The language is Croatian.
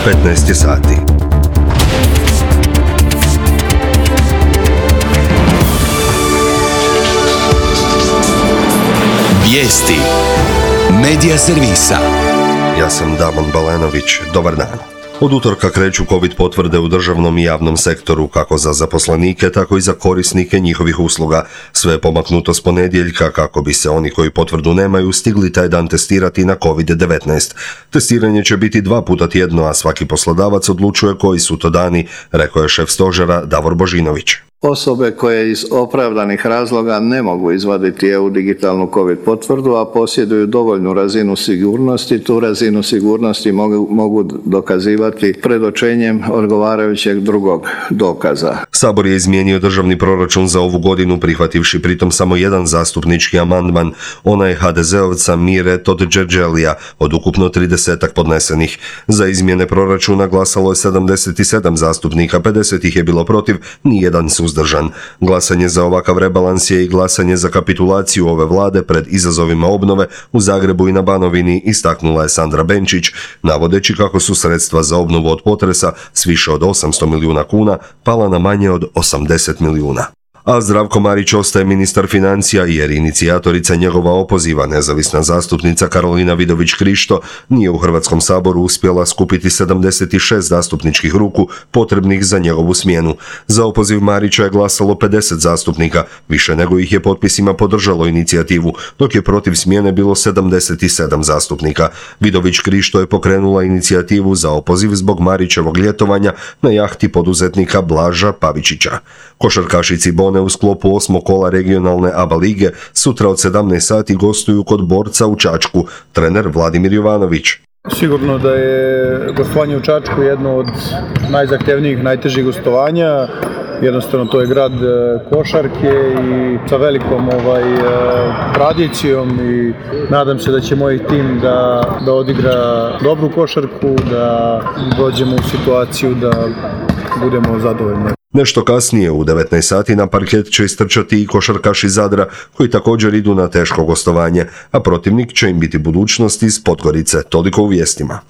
15 je sati. Vijesti Medija servisa. Ja sam Damon Balenović. Dobar dan. Od utorka kreću COVID potvrde u državnom i javnom sektoru, kako za zaposlenike, tako i za korisnike njihovih usluga. Sve je pomaknuto s ponedjeljka kako bi se oni koji potvrdu nemaju stigli taj dan testirati na COVID-19. Testiranje će biti 2 puta tjedno, a svaki poslodavac odlučuje koji su to dani, rekao je šef stožera Davor Božinović. Osobe koje iz opravdanih razloga ne mogu izvaditi EU digitalnu COVID potvrdu, a posjeduju dovoljnu razinu sigurnosti, tu razinu sigurnosti mogu dokazivati predočenjem odgovarajućeg drugog dokaza. Sabor je izmijenio državni proračun za ovu godinu, prihvativši pritom samo jedan zastupnički amandman, onaj HDZ-ovca Mire Todžerđelija, od ukupno 30 podnesenih. Za izmjene proračuna glasalo je 77 zastupnika, 50 ih je bilo protiv, nijedan suzdržan. Glasanje za ovakav rebalans je i glasanje za kapitulaciju ove vlade pred izazovima obnove u Zagrebu i na Banovini, istaknula je Sandra Benčić, navodeći kako su sredstva za obnovu od potresa s više od 800 milijuna kuna pala na manje od 80 milijuna. A Zdravko Marić ostaje ministar financija jer inicijatorica njegova opoziva, nezavisna zastupnica Karolina Vidović Krišto, nije u Hrvatskom saboru uspjela skupiti 76 zastupničkih ruku potrebnih za njegovu smjenu. Za opoziv Marića je glasalo 50 zastupnika, više nego ih je potpisima podržalo inicijativu, dok je protiv smjene bilo 77 zastupnika. Vidović Krišto je pokrenula inicijativu za opoziv zbog Marićevog ljetovanja na jahti poduzetnika Blaža Pavičića. Košarkaši Cibone u sklopu 8. kola regionalne ABA lige sutra od 17 sati gostuju kod Borca u Čačku, trener Vladimir Jovanović. Sigurno da je gostovanje u Čačku jedno od najzahtjevnijih, najtežih gostovanja. Jednostavno to je grad košarke i sa velikom tradicijom i nadam se da će moj tim da odigra dobru košarku, da dođemo u situaciju da budemo zadovoljni. Nešto kasnije u 19 sati na parket će istrčati i košarkaši Zadra, koji također idu na teško gostovanje, a protivnik će im biti budućnost iz Podgorice. Toliko u vijestima.